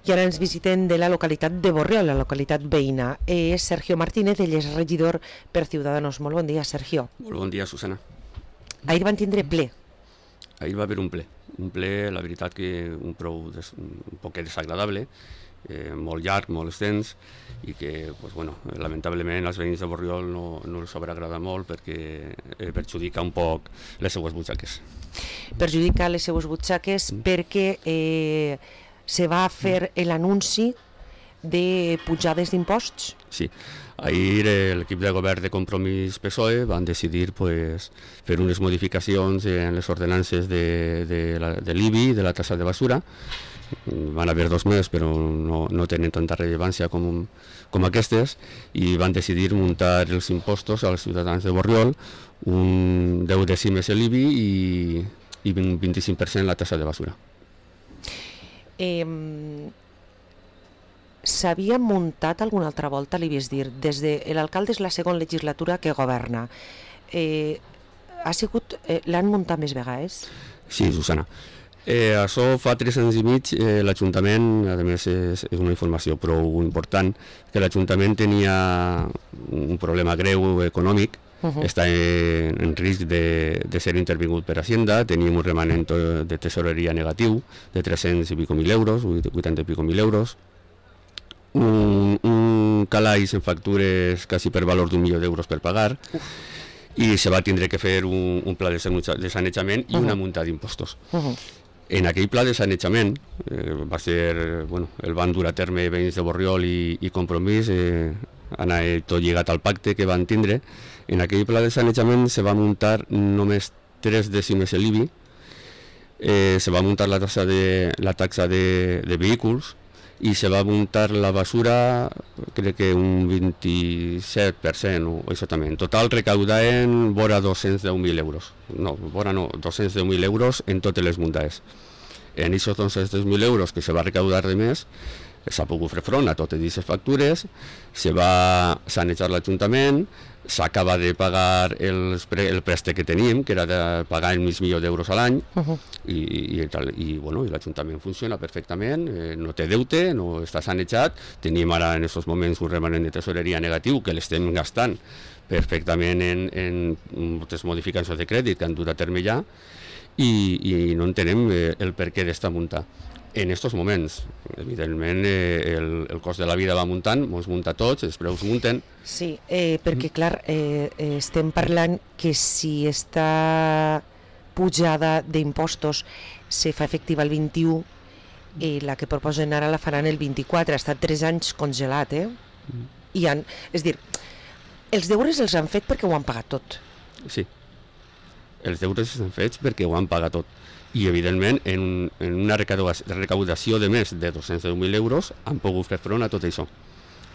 I ara ens visiten de la localitat de Borriol, la localitat veïna. És Sergio Martínez, ell és regidor per Ciudadanos. Molt bon dia, Sergio. Molt bon dia, Susana. Ahir van tindre ple. Ahir va haver un ple, la veritat que un poquet desagradable, molt llarg, molt extens, i que, lamentablement, als veïns de Borriol no els haurà agradat molt perquè perjudica un poc les seues butxaques. Perjudica les seues butxaques perquè se va fer l'anunci de pujades d'imposts? Sí. Ahir l'equip de govern de Compromís PSOE van decidir fer unes modificacions en les ordenances de l'IBI, de la tassa de basura. Van haver 2 més, però no tenen tanta rellevància com aquestes, i van decidir muntar els impostos als ciutadans de Borriol, un 10 dècimes l'IBI i un 25% la tassa de basura. S'havia muntat alguna altra volta, li ves dir, des de l'alcalde és la segona legislatura que governa. L'han muntat més vegades? Sí, Susana. Això fa 3 anys i mig l'Ajuntament, a més és una informació prou important, que l'Ajuntament tenia un problema greu econòmic, està en risc de ser intervingut per Hacienda, tenim un remanent de tesoreria negatiu de 300 i pico mil euros, 80 i pico mil euros, un calaix en factures quasi per valor d'1 milió d'euros per pagar, i se va tindre que fer un pla de sanejament i una multa d'impostos. En aquell pla de sanejament el van dur a terme veïns de Borriol i Compromís, anar tot lligat al pacte que van tindre. En aquell pla de sanejament se va muntar només 3 dècimes l'IBI, se va muntar la taxa de vehicles, i se va muntar la basura, crec que un 27%, o això també. En total recaudaven vora 210.000 euros. No, 210.000 euros en totes les muntades. En aquests 210.000 euros que se va recaudar de més, s'ha pogut fer front a totes aquestes factures, se va sanejar l'Ajuntament, s'acaba de pagar el préstec que teníem, que era de pagar el $500.000 a l'any, i l'Ajuntament funciona perfectament, no té deute, no està sanejat. Tenim ara en aquests moments un remanent de tesoreria negatiu que l'estem gastant perfectament en moltes modificacions de crèdit que han dut a terme ja, i no entenem el perquè d'esta munta. En aquests moments, evidentment, el cost de la vida va muntant, ens munta tots, els preus munten. Sí, perquè clar, estem parlant que si esta pujada d'impostos se fa efectiva el 21, la que proposen ara la faran el 24, ha estat 3 anys congelat, és dir, els deures els han fet perquè ho han pagat tot. Sí, els deures els han fet perquè ho han pagat tot. I, evidentment, en una recaudació de més de 210.000 euros han pogut fer front a tot això.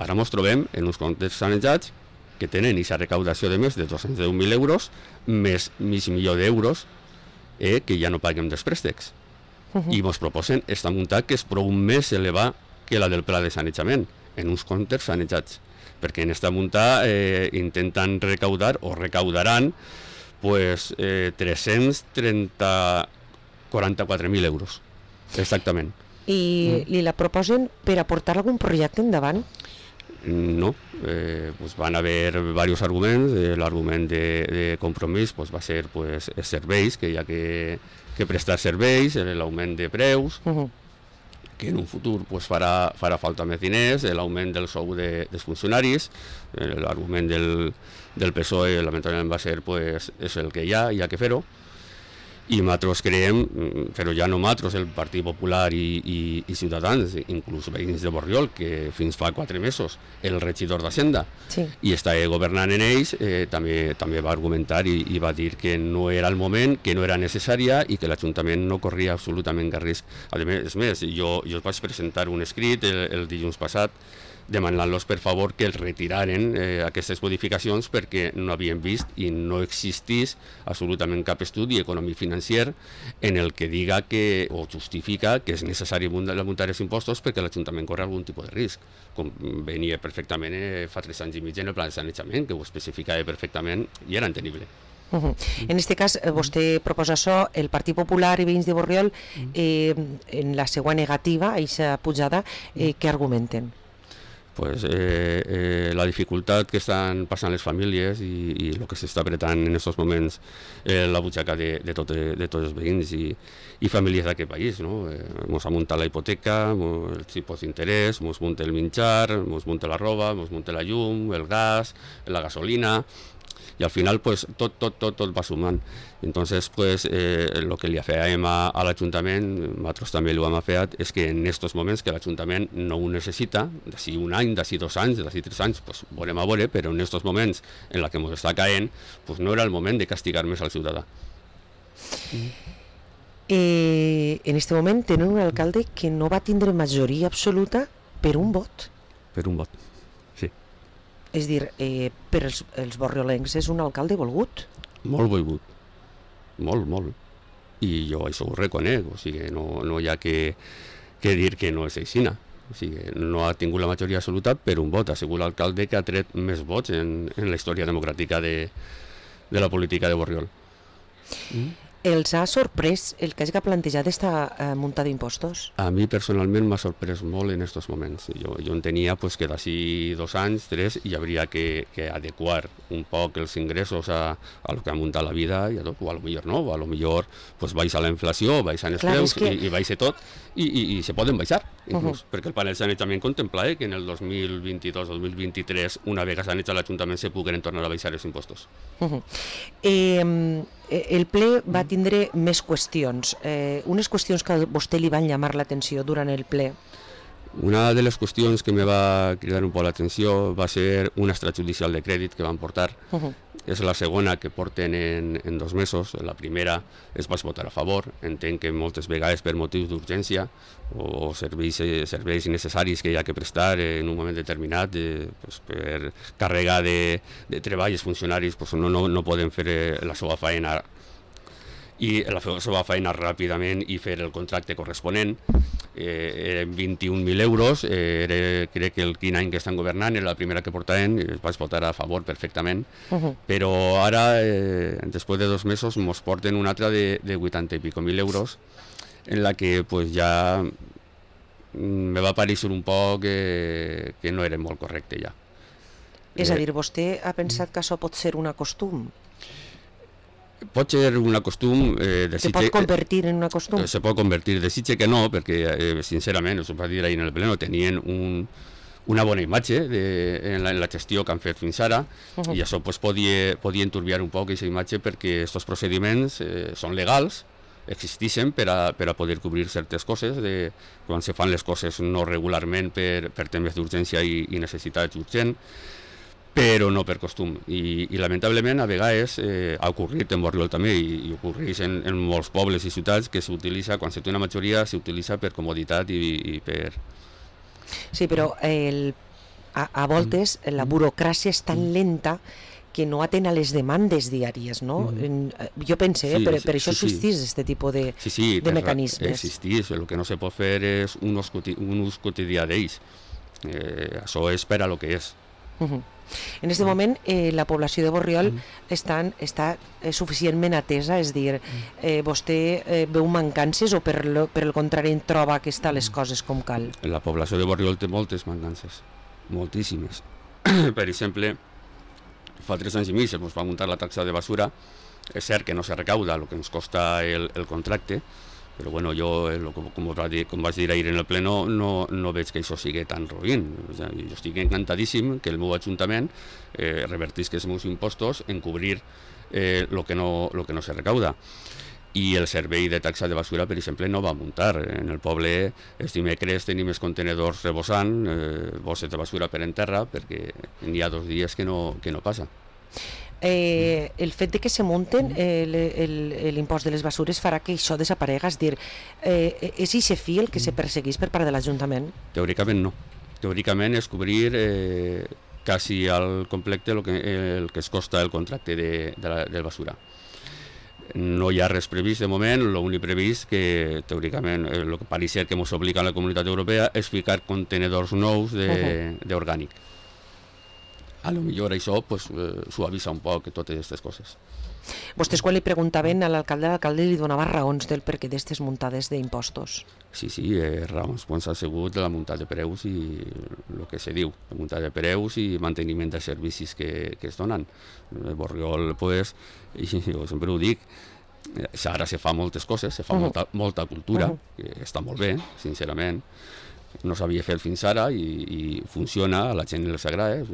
Ara ens trobem en uns comptes sanejats que tenen aquesta recaudació de més de 210.000 euros més $500.000 d'euros que ja no paguem dels préstecs. I ens proposen esta multa que és prou més elevada que la del pla de sanejament, en uns comptes sanejats. Perquè en esta multa intenten recaudar, o recaudaran, 344.000 euros, exactament. I li la proposen per aportar algun projecte endavant? No, van haver diversos arguments. L'argument de Compromís va ser els serveis, que hi ha que prestar serveis, l'augment de preus, que en un futur farà falta més diners, l'augment del sou dels funcionaris. L'argument del PSOE lamentablement va ser és el que hi ha que fer-ho. I nosaltres creiem, però ja no nosaltres, el Partit Popular i Ciutadans, inclús veïns de Borriol, que fins fa 4 mesos el regidor d'Hacienda i està governant en ells, també va argumentar i va dir que no era el moment, que no era necessària i que l'Ajuntament no corria absolutament cap risc. A més, jo vaig presentar un escrit el dilluns passat demanant-los per favor que els retiraren aquestes modificacions perquè no havien vist i no existís absolutament cap estudi econòmic financer en el que diga o justifica que és necessari muntar els impostos perquè l'Ajuntament corre algun tipus de risc, com venia perfectament fa 3 anys i mig en el pla de sanejament, que ho especificava perfectament i era entenible. En aquest cas, vostè proposa això, el Partit Popular i Veïns de Borriol, en la seva negativa a aquesta pujada, què argumenten? Pues la dificultat que estan passant les famílies i el que s'està apretant en aquests moments la butxaca de tots els veïns i famílies d'aquest país, no? Mos ha muntat la hipoteca, els tipus d'interès, mos munta el menjar, mos munta la roba, mos munta la llum, el gas, la gasolina, y al final pues tot va sumant. Entonces pues lo que li afeiem a l'Ajuntament, nosaltres també ho hem afeat, és que en aquests moments que l'Ajuntament no ho necessita, d'ací un any, d'ací 2 anys, d'ací 3 anys, pues veurem a veure, però en aquests moments en la que ens està caent, pues no era el moment de castigar més al ciutadà. En aquest moment tenen un alcalde que no va tindre majoria absoluta per un vot. Per un vot, sí. És dir, per els borriolencs és un alcalde volgut? Molt volgut, molt. I jo això ho reconec, o sigui, no hi ha que dir que no és aixina. O sigui, no ha tingut la majoria absoluta per un vot. Ha sigut l'alcalde que ha tret més vots en la història democràtica de la política de Borriol. Els ha sorprès el que hagi plantejat aquesta munta d'impostos? A mi personalment m'ha sorprès molt en aquests moments. Jo entenia pues, que d'ací 2 anys, 3, hi hauria que adequar un poc els ingressos a lo que ha muntat la vida, i o a lo millor no, o a lo millor pues, baixa la inflació, baixen els preus i baixa tot, i se poden baixar, inclús, perquè el panel sanejament contempla que en el 2022-2023, una vegada sanejat l'Ajuntament, se puguen tornar a baixar els impostos. El ple va tindre més qüestions, unes qüestions que a vostè li van llamar l'atenció durant el ple. Una de les qüestions que me va cridar un poc l'atenció va ser un extrajudicial de crèdit que van portar. És la segona que porten en 2 mesos. La primera es va votar a favor. Entenc que moltes vegades per motius d'urgència o serveis necessaris que hi ha que prestar en un moment determinat, per càrrega de treball, els funcionaris no poden fer la seva feina i la seva feina ràpidament i fer el contracte corresponent. Eren 21.000 euros, crec que el quin any que estan governant era la primera que portaven, es vaig votar a favor perfectament, però ara, després de 2 mesos, ens porten una altra de 80 i pico mil euros, en la que pues, ja me va pareixer un poc que no era molt correcte ja. És a dir, vostè ha pensat que això pot ser un costum? Pot ser un costum... Se pot convertir en un costum? Se pot convertir, desitge que no, perquè sincerament, us ho vaig dir ahir en el pleno, tenien una bona imatge en la gestió que han fet fins ara, i això pues, podia enturbiar un poc aquesta imatge perquè aquests procediments són legals, existeixen per a poder cobrir certes coses, quan se fan les coses no regularment per temes d'urgència i necessitats urgents, però no per costum. I lamentablement a vegades ha ocorrit en Borriol també i ocorreix en molts pobles i ciutats que s'utilitza, quan se té una majoria, s'utilitza per comoditat i per... Sí, però a voltes la burocràcia és tan lenta que no atén a les demandes diàries, no? Jo pense, per això existís aquest tipus de mecanismes. Existís, el que no se pot fer és un ús quotidià d'ells. Això és per a lo que és. En aquest moment la població de Borriol està suficientment atesa, és dir, vostè veu mancances o per el contrari troba que estan les coses com cal? La població de Borriol té moltes mancances, moltíssimes. Per exemple, fa 3 anys i mig es va muntar la taxa de basura, és cert que no se recauda el que ens costa el contracte, però bueno, jo, com vaig dir ahir en el pleno, no veig que això sigui tan roïn. Jo estic encantadíssim que el meu ajuntament revertisca els meus impostos en cobrir el que no se recauda. I el servei de taxa de basura, per exemple, no va muntar. En el poble, els dimecres tenim els contenedors rebosant, bosses de basura per en terra, perquè n'hi ha 2 dies que no passa. El fet de que se munten l'impost de les basures farà que això desaparega, és dir, és aquest fi el que se perseguís per part de l'Ajuntament? Teòricament no. Teòricament és cobrir quasi al complet el que es costa el contracte de basura. No hi ha res previst de moment, l'únic previst que teòricament el que pareix ser que ens obliga a la Comunitat Europea és ficar contenedors nous d'orgànic. a lo millor això pues, suavisa un poc totes aquestes coses. Vostès quan li preguntaven a l'alcalde li donava raons del perquè d'aquestes muntades d'impostos. Sí, raons doncs ha sigut la muntada de preus i el que se diu, la muntada de preus i manteniment de servicis que es donen. Borriol, pues, i jo sempre ho dic, ara se fa moltes coses, se fa molta cultura, que està molt bé, sincerament. No s'havia fet fins ara i funciona, a la gent els agrada.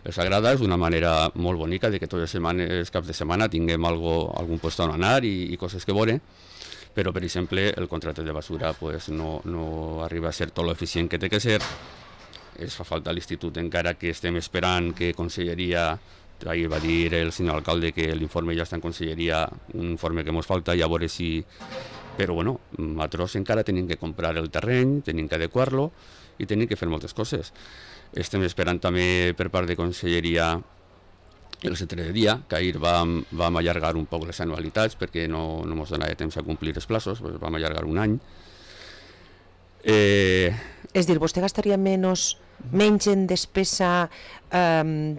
Els agrada, és una manera molt bonica de que totes els caps de setmana tinguem algun lloc on anar i coses que veure, però per exemple el contracte de basura pues, no arriba a ser tot l'eficient que té que ser. Es fa falta a l'institut encara que estem esperant que Conselleria, ahir va dir el senyor alcalde que l'informe ja està en Conselleria, un informe que ens falta i a veure si... Però bueno, nosaltres encara tenim que comprar el terreny, tenim que adequar-lo i tenim que fer moltes coses. Estem esperant també per part de Conselleria el centre de dia, que ahir vam allargar un poc les anualitats perquè no ens donava temps a complir els plaços, doncs vam allargar un any. És dir, vostè gastaria menys en despesa,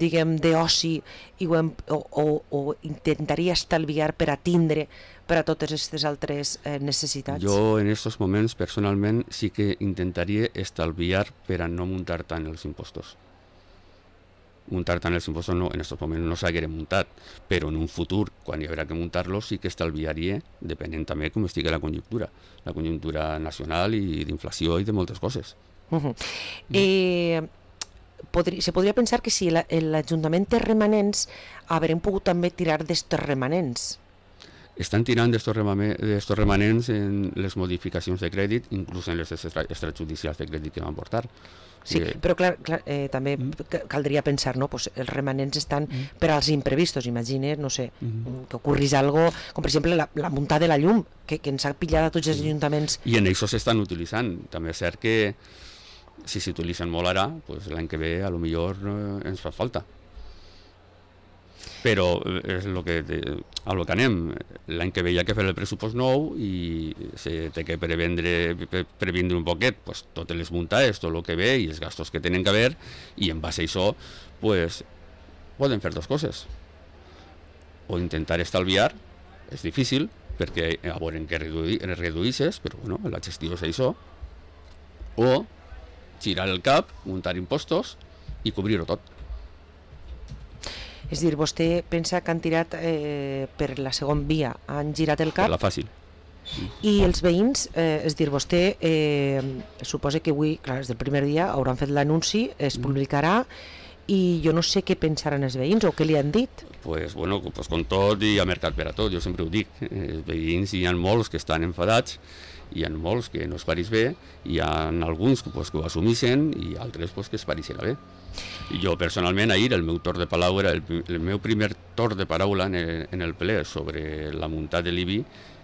diguem, d'oci o intentaria estalviar per a tindre per a totes aquestes altres necessitats? Jo en aquests moments personalment sí que intentaria estalviar per a no muntar tant els impostos. Muntar tant els impostos en aquests moments no s'haguera muntat, però en un futur, quan hi haurà que muntar-los, sí que estalviaria, depenent també com estigui la conjuntura nacional i d'inflació i de moltes coses. Se podria pensar que si l'Ajuntament té remanents, haurem pogut també tirar d'estos remanents. Estan tirant d'estos remanents en les modificacions de crèdit, inclús en les extrajudicials de crèdit que van portar. Sí, però clar, també caldria pensar, no? Pues els remanents estan per als imprevistos, imagina't, no sé, que ocorrís algo, com per exemple la muntada de la llum, que ens ha pillat a tots els ajuntaments. I en això s'estan utilitzant. També és cert que si s'utilitzen molt ara, pues l'any que ve a lo millor ens fa falta. Però és a lo que anem. L'any que ve hi ha que fer el pressupost nou i se té que previndre un poquet pues, totes les muntades, tot el que ve i els gastos que tenen que haver, i en base a això pues, poden fer dues coses. O intentar estalviar, és difícil, perquè a veure que reduïsses, però bueno, la gestió és això. O girar el cap, muntar impostos i cobrir-ho tot. És dir, vostè pensa que han tirat per la segona via, han girat el cap? Per la fàcil. I els veïns, és dir, vostè suposa que avui, clar, des del primer dia hauran fet l'anunci, es publicarà, i jo no sé què pensaran els veïns o què li han dit. Pues bueno, pues com tot hi ha mercat per a tot, jo sempre ho dic. Els veïns hi ha molts que estan enfadats, hi ha molts que no es pareix bé, hi ha alguns pues, que ho assumeixen i altres pues, que es pareixen bé. I jo personalment ahir el meu torn de paraula, el meu primer torn de paraula en el ple sobre la muntada de l'IBI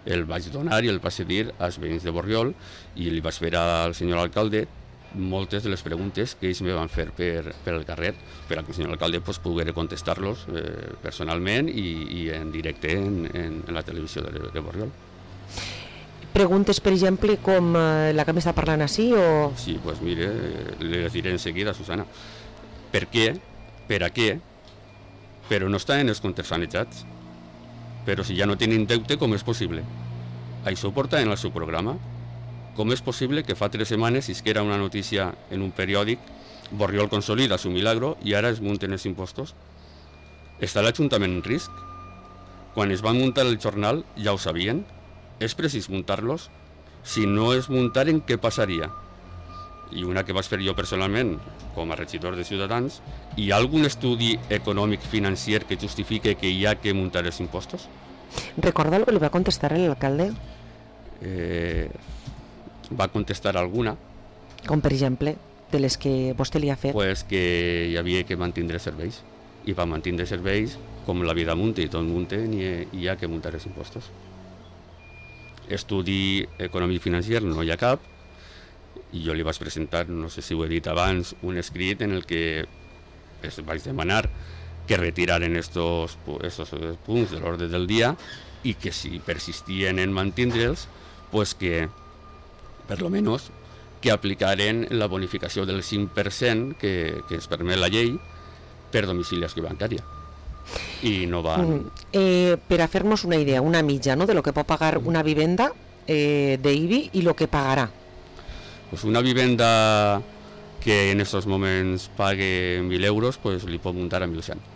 el vaig donar i el vaig dir als veïns de Borriol i li vaig fer al senyor alcalde moltes de les preguntes que ells me van fer per el carrer per a que el senyor alcalde pues, pogués contestar-los personalment i en directe en la televisió de Borriol. Preguntes, per exemple, com la que m'està parlant així o...? Sí, doncs mire, les diré en seguida, Susana. Per què? Per a què? Però no estan en els comptes sanejats. Però si ja no tenen deute, com és possible? Això ho porta en el seu programa. Com és possible que fa 3 setmanes isquera una notícia en un periòdic Borriol consolida su milagro i ara es munten els impostos? Està l'Ajuntament en risc? Quan es van muntar el jornal ja ho sabien? És precís muntar-los? Si no es muntaren, què passaria? I una que vaig fer jo personalment, com a regidor de Ciutadans, hi ha algun estudi econòmic financer que justifique que hi ha que muntar els impostos? Recorda el que li va contestar l'alcalde? Va contestar alguna. Com per exemple, de les que vostè li ha fet? Pues que hi havia que mantindre serveis. I per mantindre serveis, com la vida munta i tot munta, hi ha que muntar els impostos. Estudi econòmic financer no hi ha cap, i jo li vaig presentar, no sé si ho he dit abans, un escrit en el que vaig demanar que retiraren estos punts de l'ordre del dia i que si persistien en mantindre'ls, pues que, per lo menos, que aplicaren la bonificació del 5% que es permet la llei per domiciliació bancària. I no van... Per a fer-nos una idea, una mitja, ¿no?, de lo que pot pagar una vivenda d'IBI i lo que pagarà. Pues una vivenda que en estos moments pague 1.000 euros, pues li pot muntar a 1.100.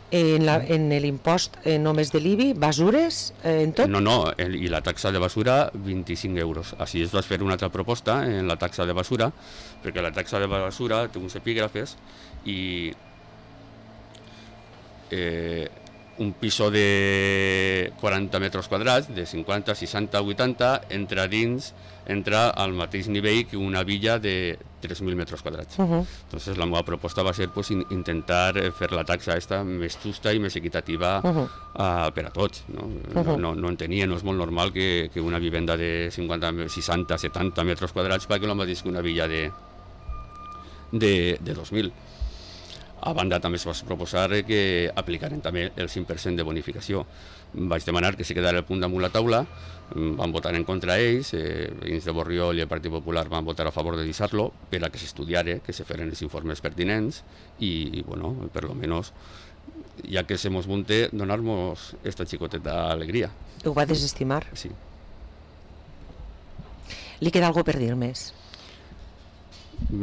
En l'impost només de l'IBI, basures, en tot? No, i la taxa de basura 25 euros. Així es va fer una altra proposta en la taxa de basura, perquè la taxa de basura té uns epígrafes i un piso de 40 metres quadrats, de 50, 60, 80, entra al mateix nivell que una villa de 3.000 metres quadrats. Entonces la meva proposta va ser pues, intentar fer la taxa esta més justa i més equitativa per a tots. No entenia, no és molt normal que una vivenda de 50, 60, 70 metres quadrats pagui el mateix que una villa de 2.000. A banda també es va proposar que aplicaren també el 5% de bonificació. Vaig demanar que se quedara el punt damunt la taula, van votar en contra ells, veïns de Borriol i el Partit Popular van votar a favor de deixar-lo per a que s'estudiara, que se feren els informes pertinents i bueno, per lo menos, ja que se mos munte, donar-nos esta xicoteta alegria. Ho va desestimar? Sí. Li queda algo per dir més?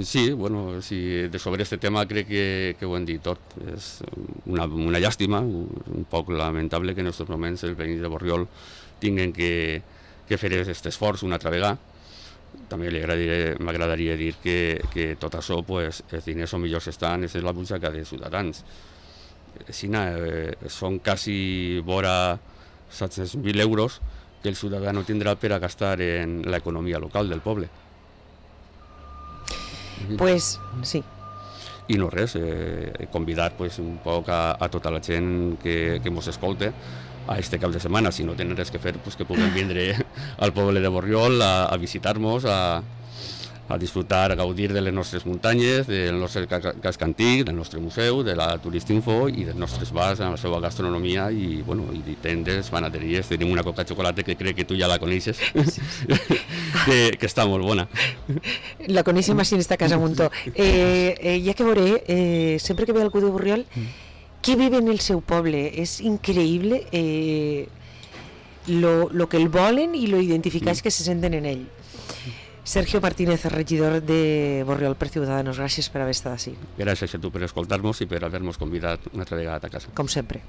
Sí, bueno, sobre este tema crec que ho hem dit tot. És una llàstima, un poc lamentable que en aquests moments els veïns de Borriol tinguin que fer aquest esforç una altra vegada. També m'agradaria dir que tot això, pues, els diners són millors que estan, és la butxaca dels ciutadans. Són quasi vora 700.000 euros que el ciutadà no tindrà per a gastar en l'economia local del poble. Pues sí. I no res, convidar pues, un poc a tota la gent que ens escolta a este cap de setmana, si no tenen res que fer, pues, que puguin vindre al poble de Borriol a visitar-nos, a disfrutar, a gaudir de les nostres muntanyes, del nostre casc antic, del nostre museu, de la Turistinfo i dels nostres bars, amb la seva gastronomia i, bueno, i tendes, panaderies. Tenim una coca de xocolata que crec que tu ja la coneixes, que està molt bona. La coneixem així en esta casa Muntó. Ja que veuré, sempre que ve algú de Borriol, que vive en el seu poble. És increïble lo que el volen i lo identificats que se senten en ell. Sergio Martínez, regidor de Borriol per Ciudadanos, gràcies per haver estat així. Gràcies a tu per escoltar-nos i per haver-nos convidat una altra vegada a casa. Com sempre.